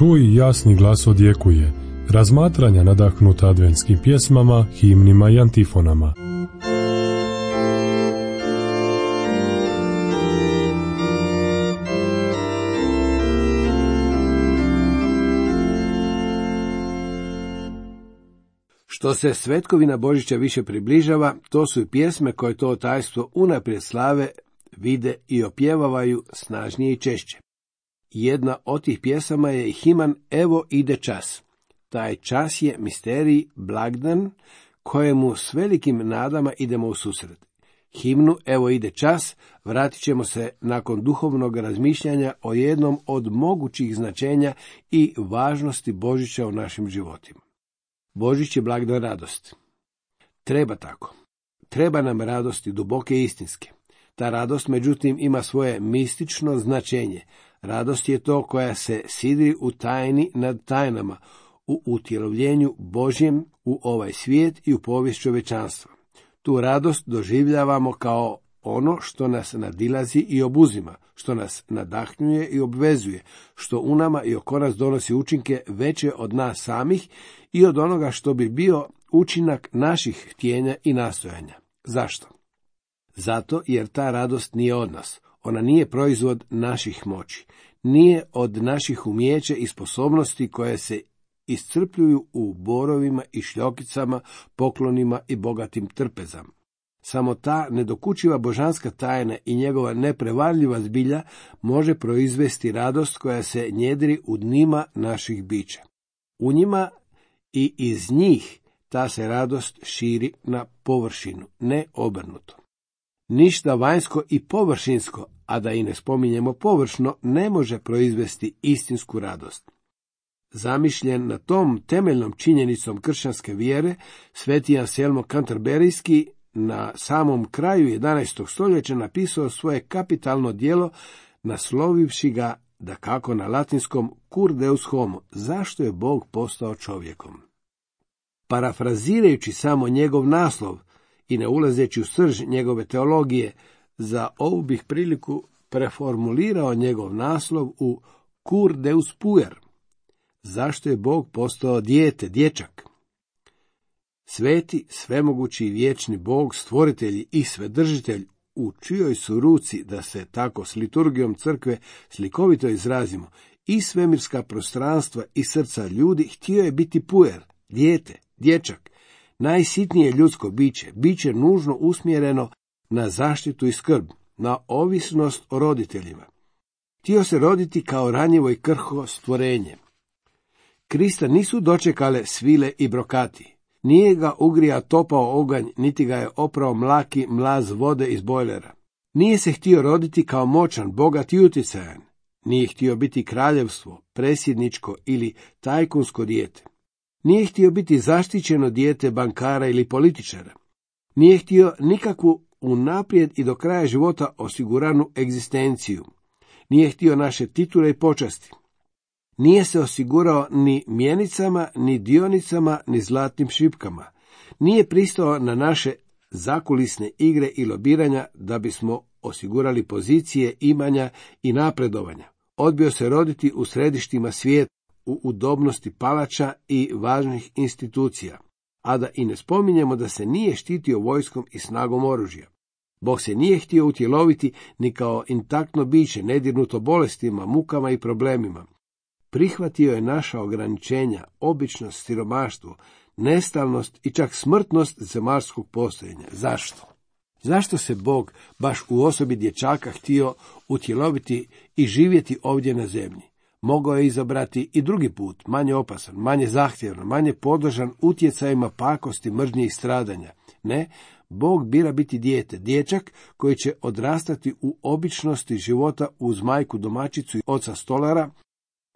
Čuj, jasni glas odjekuje. Razmatranja nadahnuta adventskim pjesmama, himnima i antifonama. Što se svetkovina Božića više približava, to su i pjesme koje to tajstvo unaprijed slave, vide i opjevavaju snažnije i češće. Jedna od tih pjesama je i himan Evo ide čas. Taj čas je misterij, blagdan, kojemu s velikim nadama idemo u susret. Himnu Evo ide čas vratit ćemo se nakon duhovnog razmišljanja o jednom od mogućih značenja i važnosti Božića u našim životima. Božić je blagdan radosti. Treba tako. Treba nam radosti duboke i istinske. Ta radost, međutim, ima svoje mistično značenje. Radost je to koja se sidri u tajni nad tajnama, u utjelovljenju Božjem u ovaj svijet i u povijest čovječanstva. Tu radost doživljavamo kao ono što nas nadilazi i obuzima, što nas nadahnjuje i obvezuje, što u nama i oko nas donosi učinke veće od nas samih i od onoga što bi bio učinak naših htjenja i nastojanja. Zašto? Zato jer ta radost nije od nas. Ona nije proizvod naših moći. Nije od naših umijeća i sposobnosti koje se iscrpljuju u borovima i šljokicama, poklonima i bogatim trpezama. Samo ta nedokučiva božanska tajna i njegova neprevarljiva zbilja može proizvesti radost koja se njedri u dnima naših bića. U njima i iz njih ta se radost širi na površinu, ne obrnuto. Ništa vanjsko i površinsko, a da i ne spominjemo površno, ne može proizvesti istinsku radost. Zamišljen na tom temeljnom činjenicom kršćanske vjere, sveti Anselmo Kanterberijski na samom kraju 11. stoljeća napisao svoje kapitalno djelo, naslovivši ga, dakako na latinskom, Cur Deus homo, zašto je Bog postao čovjekom. Parafrazirajući samo njegov naslov i ne ulazeći u srž njegove teologije, za ovu bih priliku preformulirao njegov naslov u Cur Deus puer, zašto je Bog postao dijete, dječak. Sveti, svemogući i vječni Bog, stvoritelj i svedržitelj, u čijoj su ruci, da se tako s liturgijom crkve slikovito izrazimo, i svemirska prostranstva i srca ljudi, htio je biti puer, dijete, dječak, najsitnije ljudsko biće nužno usmjereno na zaštitu i skrb, na ovisnost o roditeljima. Htio se roditi kao ranjivo i krhko stvorenje. Krista nisu dočekale svile i brokati. Nije ga ugrija topao oganj, niti ga je oprao mlaki mlaz vode iz bojlera. Nije se htio roditi kao moćan, bogat i utjecajan. Nije htio biti kraljevstvo, presjedničko ili tajkunsko dijete. Nije htio biti zaštićeno dijete bankara ili političara. Nije htio nikakvu unaprijed i do kraja života osiguranu egzistenciju. Nije htio naše titule i počasti. Nije se osigurao ni mjenicama, ni dionicama, ni zlatnim šipkama. Nije pristao na naše zakulisne igre i lobiranja da bismo osigurali pozicije, imanja i napredovanja. Odbio se roditi u središtima svijeta, u udobnosti palača i važnih institucija, a da i ne spominjemo da se nije štitio vojskom i snagom oružja. Bog se nije htio utjeloviti ni kao intaktno biće, nedirnuto bolestima, mukama i problemima. Prihvatio je naša ograničenja, običnost, siromaštvo, nestalnost i čak smrtnost zemaljskog postojanja. Zašto? Zašto se Bog baš u osobi dječaka htio utjeloviti i živjeti ovdje na zemlji? Mogao je izabrati i drugi put, manje opasan, manje zahtjevan, manje podložan utjecajima pakosti, mržnje i stradanja. Ne, Bog bira biti dijete, dječak koji će odrastati u običnosti života uz majku domaćicu i oca stolara,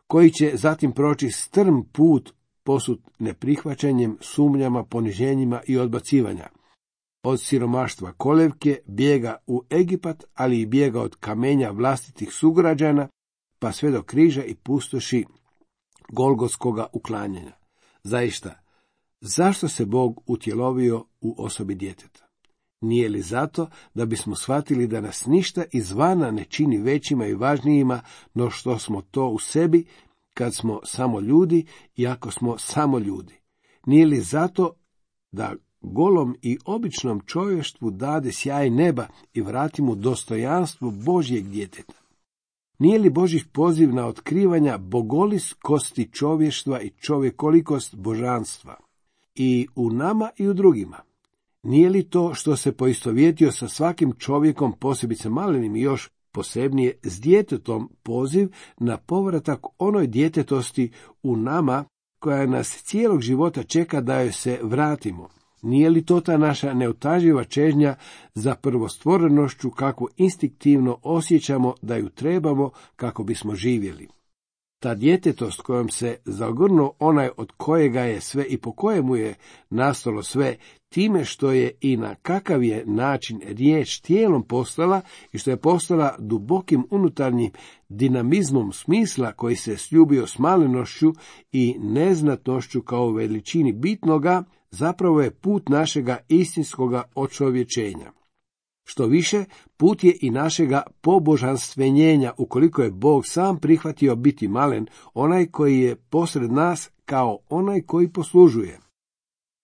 koji će zatim proći strm put posut neprihvaćanjem, sumnjama, poniženjima i odbacivanja. Od siromaštva kolevke bijega u Egipat, ali i bijega od kamenja vlastitih sugrađana, pa sve do križa i pustoši golgotskoga uklanjanja. Zaista, zašto se Bog utjelovio u osobi djeteta? Nije li zato da bismo shvatili da nas ništa izvana ne čini većima i važnijima no što smo to u sebi kad smo samo ljudi i ako smo samo ljudi? Nije li zato da golom i običnom čovještvu dade sjaj neba i vrati mu dostojanstvo Božjeg djeteta? Nije li Božji poziv na otkrivanja bogoliskosti čovještva i čovjekolikost božanstva? I u nama i u drugima. Nije li to što se poistovjetio sa svakim čovjekom, posebice malenim i još posebnije s djetetom, poziv na povratak onoj djetetosti u nama koja nas cijelog života čeka da joj se vratimo? Nije li to ta naša neutaživa čežnja za prvostvorenošću kakvu instinktivno osjećamo da ju trebamo kako bismo živjeli? Ta djetetost kojom se zagrnuo onaj od kojega je sve i po kojemu je nastalo sve, time što je i na kakav je način riječ tijelom postala i što je postala dubokim unutarnjim dinamizmom smisla koji se sljubio s malenošću i neznatnošću kao veličini bitnoga, zapravo je put našega istinskoga očovječenja. Što više, put je i našega pobožanstvenjenja, ukoliko je Bog sam prihvatio biti malen, onaj koji je posred nas kao onaj koji poslužuje.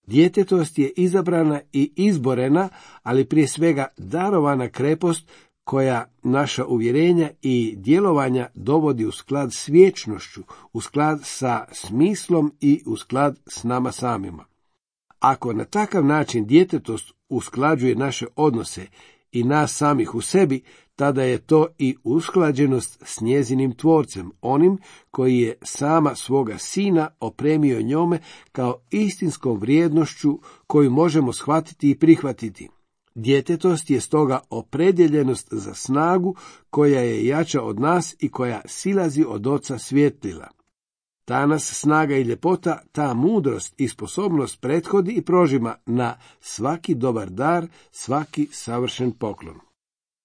Djetetost je izabrana i izborena, ali prije svega darovana krepost koja naša uvjerenja i djelovanja dovodi u sklad s vječnošću, u sklad sa smislom i u sklad s nama samima. Ako na takav način djetetost usklađuje naše odnose i nas samih u sebi, tada je to i usklađenost s njezinim tvorcem, onim koji je sama svoga sina opremio njome kao istinskom vrijednošću koju možemo shvatiti i prihvatiti. Djetetost je stoga opredjeljenost za snagu koja je jača od nas i koja silazi od Oca svjetlila. Ta nas snaga i ljepota, ta mudrost i sposobnost prethodi i prožima na svaki dobar dar, svaki savršen poklon.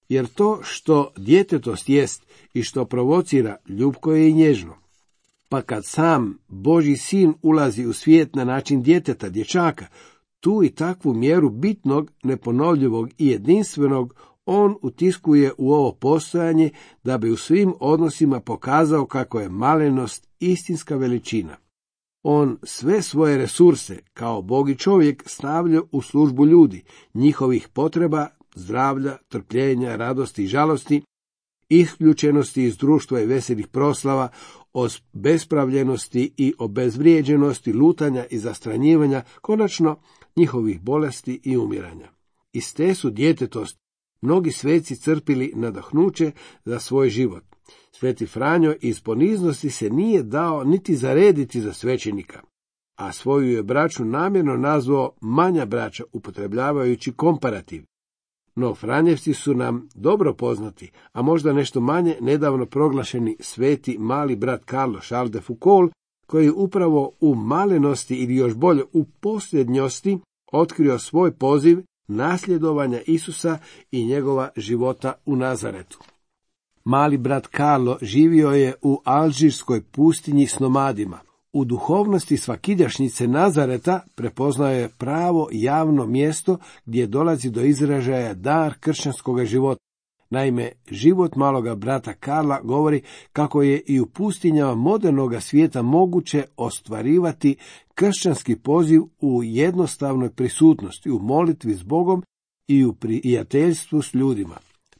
Jer to što djetetost jest i što provocira, ljubko je i nježno. Pa kad sam Božji sin ulazi u svijet na način djeteta, dječaka, tu i takvu mjeru bitnog, neponovljivog i jedinstvenog on utiskuje u ovo postojanje da bi u svim odnosima pokazao kako je malenost istinska veličina. On sve svoje resurse, kao Bog i čovjek, stavlja u službu ljudi, njihovih potreba, zdravlja, trpljenja, radosti i žalosti, isključenosti iz društva i veselih proslava, o bespravljenosti i obezvrijeđenosti, lutanja i zastranjivanja, konačno njihovih bolesti i umiranja. Iz te su djetetost mnogi sveci crpili nadahnuće za svoj život. Sveti Franjo iz poniznosti se nije dao niti zarediti za svećenika, a svoju je braću namjerno nazvao manja braća, upotrebljavajući komparativ. No Franjevci su nam dobro poznati, a možda nešto manje nedavno proglašeni sveti mali brat Karlo Charles de Foucault, koji upravo u malenosti ili još bolje u posljednjosti otkrio svoj poziv nasljedovanja Isusa i njegova života u Nazaretu. Mali brat Karlo živio je u alžirskoj pustinji s nomadima. U duhovnosti svakidašnjice Nazareta prepoznao je pravo javno mjesto gdje dolazi do izražaja dar kršćanskog života. Naime, život maloga brata Karla govori kako je i u pustinjama modernoga svijeta moguće ostvarivati kršćanski poziv u jednostavnoj prisutnosti, u molitvi s Bogom i u prijateljstvu s ljudima.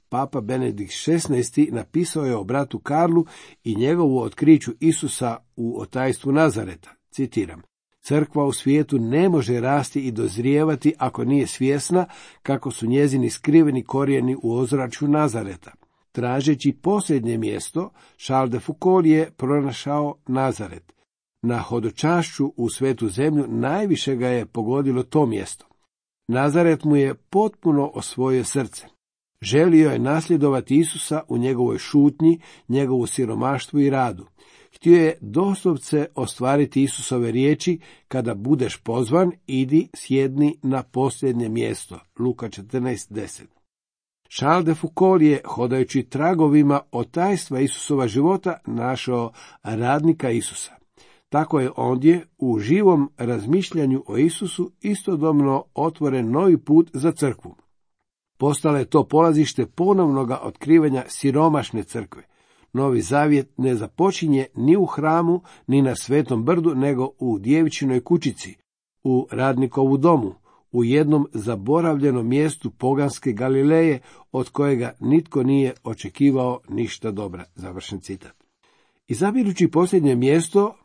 Papa Benedikt XVI napisao je o bratu Karlu i njegovu otkriću Isusa u otajstvu Nazareta. Citiram: Crkva u svijetu ne može rasti i dozrijevati ako nije svjesna kako su njezini skriveni korijeni u ozračju Nazareta. Tražeći posljednje mjesto, Charles de Foucault je pronašao Nazaret. Na hodočašću u svetu zemlju najviše ga je pogodilo to mjesto. Nazaret mu je potpuno osvojio srce. Želio je nasljedovati Isusa u njegovoj šutnji, njegovu siromaštvu i radu. Htio je doslovce ostvariti Isusove riječi: kada budeš pozvan, idi, sjedni na posljednje mjesto. Luka 14:10. Charles de Foucault je, hodajući tragovima otajstva Isusova života, našao radnika Isusa. Tako je ondje u živom razmišljanju o Isusu istodobno otvoren novi put za crkvu. Postalo je to polazište ponovnoga otkrivanja siromašne crkve. Novi zavjet ne započinje ni u hramu, ni na Svetom brdu, nego u djevičinoj kućici, u radnikovu domu, u jednom zaboravljenom mjestu poganske Galileje, od kojega nitko nije očekivao ništa dobra. Završen citat. Izabirući posljednje mjesto,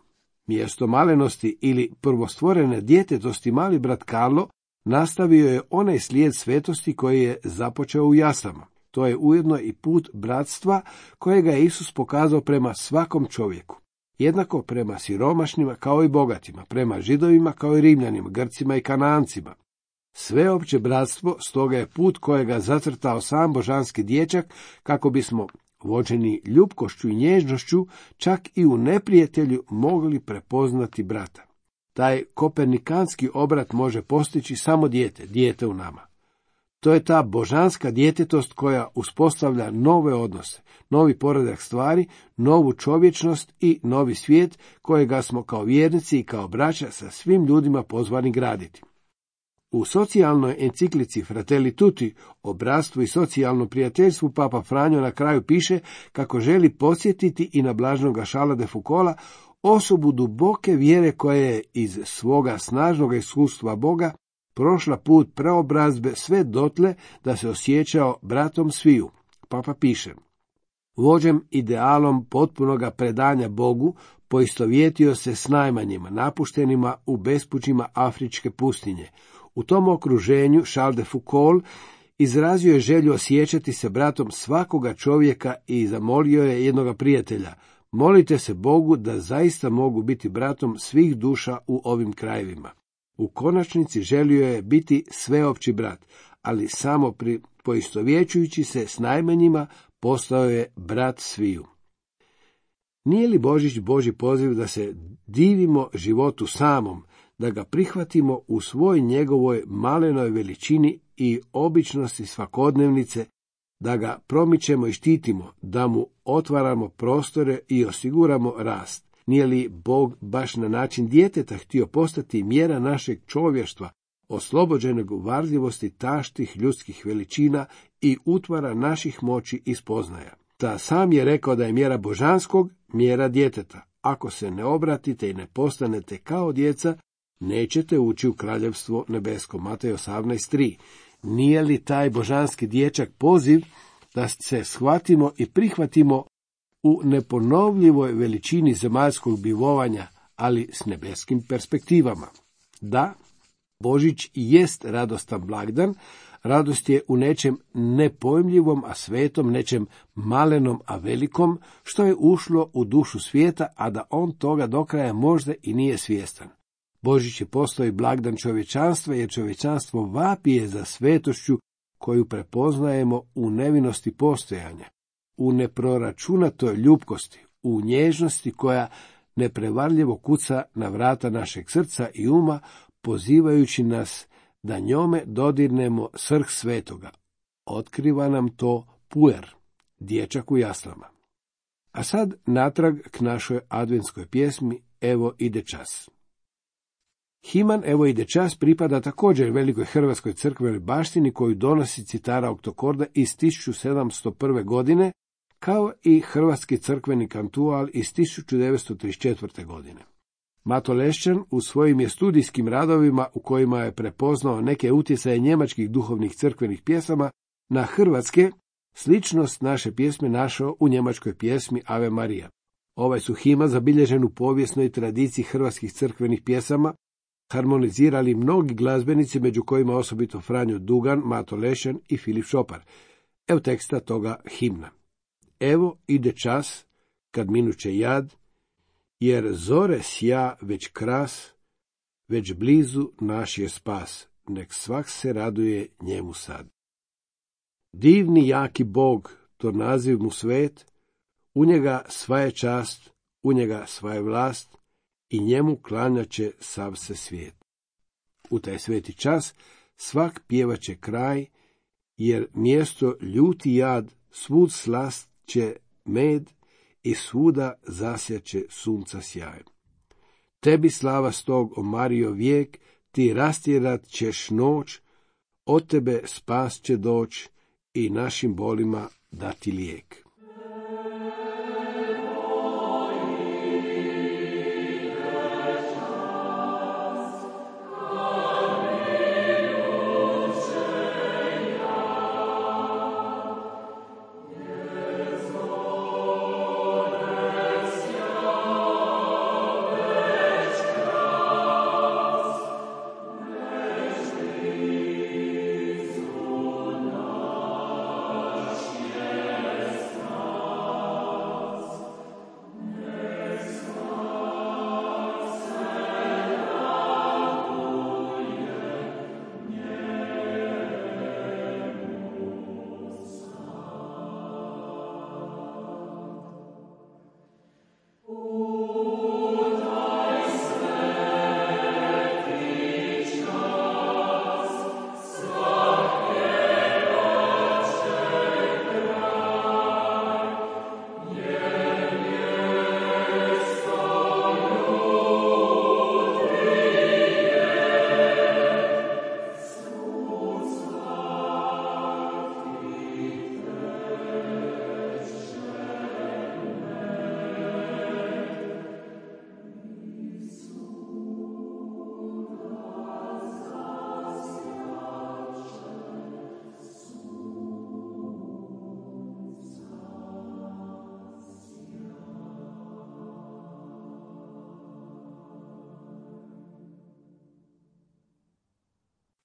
mjesto malenosti ili prvostvorene djetetosti, mali brat Karlo nastavio je onaj slijed svetosti koji je započeo u jaslama. To je ujedno i put bratstva kojega je Isus pokazao prema svakom čovjeku. Jednako prema siromašnima kao i bogatima, prema Židovima kao i Rimljanima, Grcima i Kanancima. Sveopće bratstvo stoga je put kojega zacrtao sam božanski dječak, kako bismo, vođeni ljubkošću i nježnošću, čak i u neprijatelju mogli prepoznati brata. Taj kopernikanski obrat može postići samo dijete u nama. To je ta božanska djetetost koja uspostavlja nove odnose, novi poredak stvari, novu čovječnost i novi svijet kojega smo kao vjernici i kao braća sa svim ljudima pozvani graditi. U socijalnoj enciklici Fratelli Tutti o bratstvu i socijalnom prijateljstvu Papa Franjo na kraju piše kako želi podsjetiti i na blaženoga Charlesa de Foucaulta, osobu duboke vjere koja je iz svoga snažnog iskustva Boga prošla put preobrazbe sve dotle da se osjećao bratom sviju. Papa piše: vođem idealom potpunoga predanja Bogu, poistovjetio se s najmanjima, napuštenima u bespućima afričke pustinje. U tom okruženju Charles de Foucault izrazio je želju osjećati se bratom svakoga čovjeka i zamolio je jednoga prijatelja: molite se Bogu da zaista mogu biti bratom svih duša u ovim krajevima. U konačnici želio je biti sveopći brat, ali samo poistovjećujući se s najmanjima postao je brat sviju. Nije li Božić Božji poziv da se divimo životu samom, da ga prihvatimo u svoj njegovoj malenoj veličini i običnosti svakodnevnice, da ga promičemo i štitimo, da mu otvaramo prostore i osiguramo rast? Nije li Bog baš na način djeteta htio postati mjera našeg čovještva, oslobođenog varljivosti taštih ljudskih veličina i utvara naših moći i spoznaja? Ta sam je rekao da je mjera božanskog mjera djeteta. Ako se ne obratite i ne postanete kao djeca, nećete ući u kraljevstvo nebesko. Matej 18:3. Nije li taj božanski dječak poziv da se shvatimo i prihvatimo u neponovljivoj veličini zemaljskog bivovanja, ali s nebeskim perspektivama? Da, Božić jest radostan blagdan. Radost je u nečem nepojmljivom, a svetom, nečem malenom, a velikom, što je ušlo u dušu svijeta, a da on toga do kraja možda i nije svjestan. Božić je postao i blagdan čovječanstva, jer čovječanstvo vapije za svetošću koju prepoznajemo u nevinosti postojanja, u neproračunatoj ljubkosti, u nježnosti koja neprevarljivo kuca na vrata našeg srca i uma, pozivajući nas da njome dodirnemo srh svetoga. Otkriva nam to puer, dječak u jaslama. A sad natrag k našoj adventskoj pjesmi Evo ide čas. Himan Evo ide čas pripada također velikoj hrvatskoj crkvenoj baštini koju donosi citara Oktokorda iz 1701. godine, kao i hrvatski crkveni kantual iz 1934. godine. Mato Lešćan u svojim je studijskim radovima, u kojima je prepoznao neke utjecaje njemačkih duhovnih crkvenih pjesama na hrvatske, sličnost naše pjesme našao u njemačkoj pjesmi Ave Marija. Ovaj su himan zabilježen u povijesnoj tradiciji hrvatskih crkvenih pjesama, harmonizirali mnogi glazbenici, među kojima osobito Franjo Dugan, Mato Lešćan i Filip Šopar. Evo teksta toga himna. Evo ide čas, kad minuće jad, jer zore sja već kras, već blizu naš je spas, nek svak se raduje njemu sad. Divni jaki Bog, to naziv mu svet, u njega sva je čast, u njega sva je vlast, i njemu klanjaće sav se svijet. U taj sveti čas svak pjevaće kraj, jer mjesto ljuti jad, svud slast će med i svuda zasjaće sunca sjaj. Tebi slava stog, o Marijo, vijek, ti rastjerat ćeš noć, od tebe spas će doć i našim bolima dati lijek.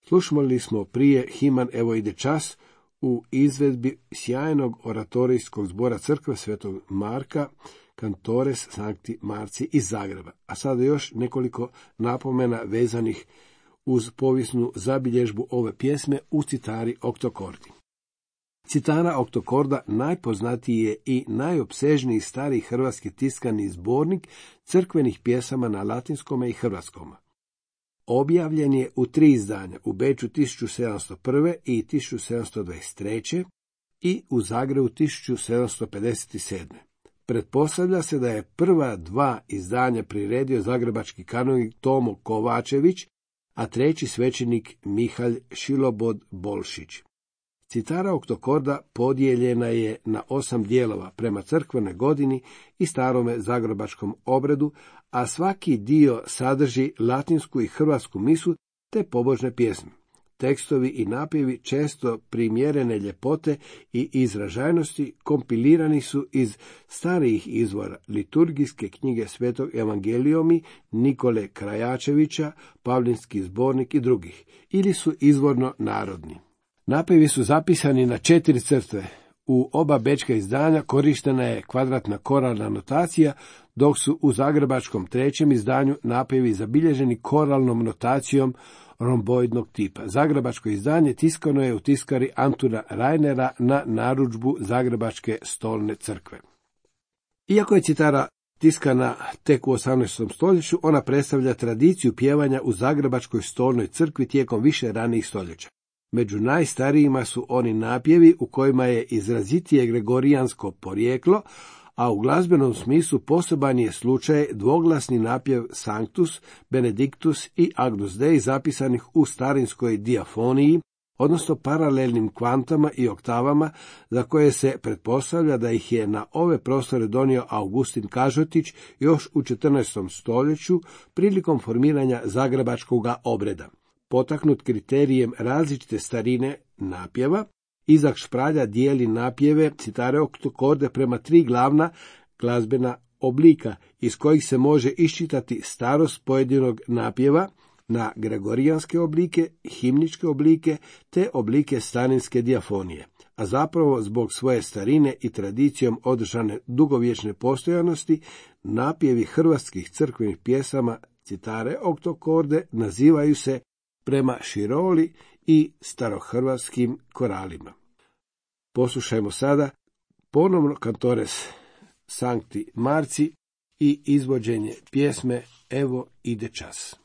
Slušali smo prije Himan evo ide čas u izvedbi sjajnog oratorijskog zbora crkve Svetog Marka, Cantores Sancti Marci iz Zagreba. A sada još nekoliko napomena vezanih uz povijesnu zabilježbu ove pjesme u citari oktokordi. Citara oktokorda najpoznatiji je i najopsežniji stari hrvatski tiskani zbornik crkvenih pjesama na latinskome i hrvatskome. Objavljen je u 3 izdanja, u Beču 1701. i 1723. i u Zagrebu 1757. Pretpostavlja se da je prva 2 izdanja priredio zagrebački kanonik Tomo Kovačević, a 3. svećenik Mihalj Šilobod Bolšić. Citara oktokorda podijeljena je na 8 dijelova prema crkvenoj godini i starome zagrebačkom obredu, a svaki dio sadrži latinsku i hrvatsku misu te pobožne pjesme. Tekstovi i napjevi često primjerene ljepote i izražajnosti kompilirani su iz starijih izvora liturgijske knjige Svetog Evangeliomi Nikole Krajačevića, Pavlinski zbornik i drugih, ili su izvorno narodni. Napjevi su zapisani na 4 crtve. U oba bečka izdanja korištena je kvadratna koralna notacija, dok su u zagrebačkom 3. izdanju napjevi zabilježeni koralnom notacijom romboidnog tipa. Zagrebačko izdanje tiskano je u tiskari Antuna Reinera na narudžbu Zagrebačke stolne crkve. Iako je citara tiskana tek u 18. stoljeću, ona predstavlja tradiciju pjevanja u Zagrebačkoj stolnoj crkvi tijekom više ranijih stoljeća. Među najstarijima su oni napjevi u kojima je izrazitije gregorijansko porijeklo, a u glazbenom smislu poseban je slučaj dvoglasni napjev Sanctus, Benedictus i Agnus Dei zapisanih u starinskoj diafoniji, odnosno paralelnim kvantama i oktavama, za koje se pretpostavlja da ih je na ove prostore donio Augustin Kažotić još u 14. stoljeću prilikom formiranja zagrebačkog obreda. Potaknut kriterijem različite starine napjeva, Izak Špralja dijeli napjeve citare oktokorde prema 3 glavna glazbena oblika, iz kojih se može iščitati starost pojedinog napjeva na gregorijanske oblike, himničke oblike te oblike starinske diafonije. A zapravo zbog svoje starine i tradicijom održane dugovječne postojanosti, napjevi hrvatskih crkvenih pjesama citare oktokorde nazivaju se prema Široli i starohrvatskim koralima. Poslušajmo sada ponovno Cantores Sancti Marci i izvođenje pjesme Evo ide čas.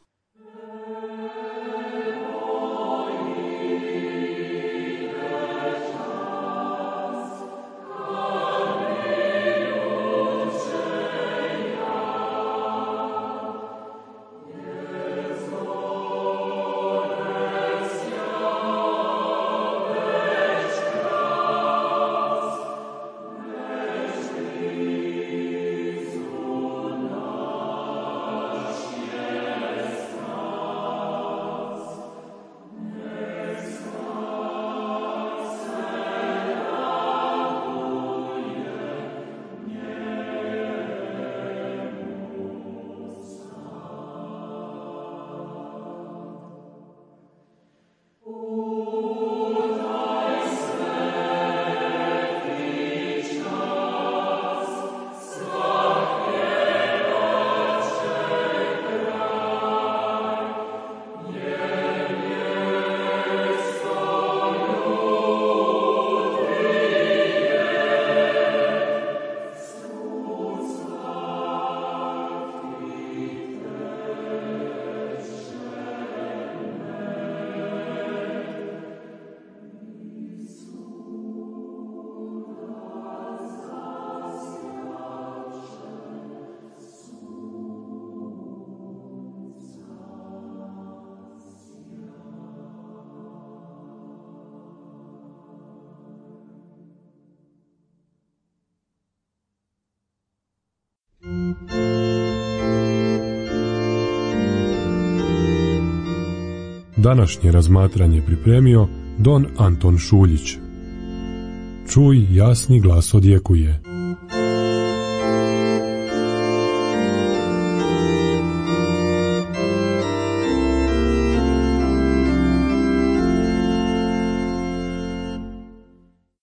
Današnje razmatranje pripremio don Anton Šuljić. Čuj, jasni glas odjekuje.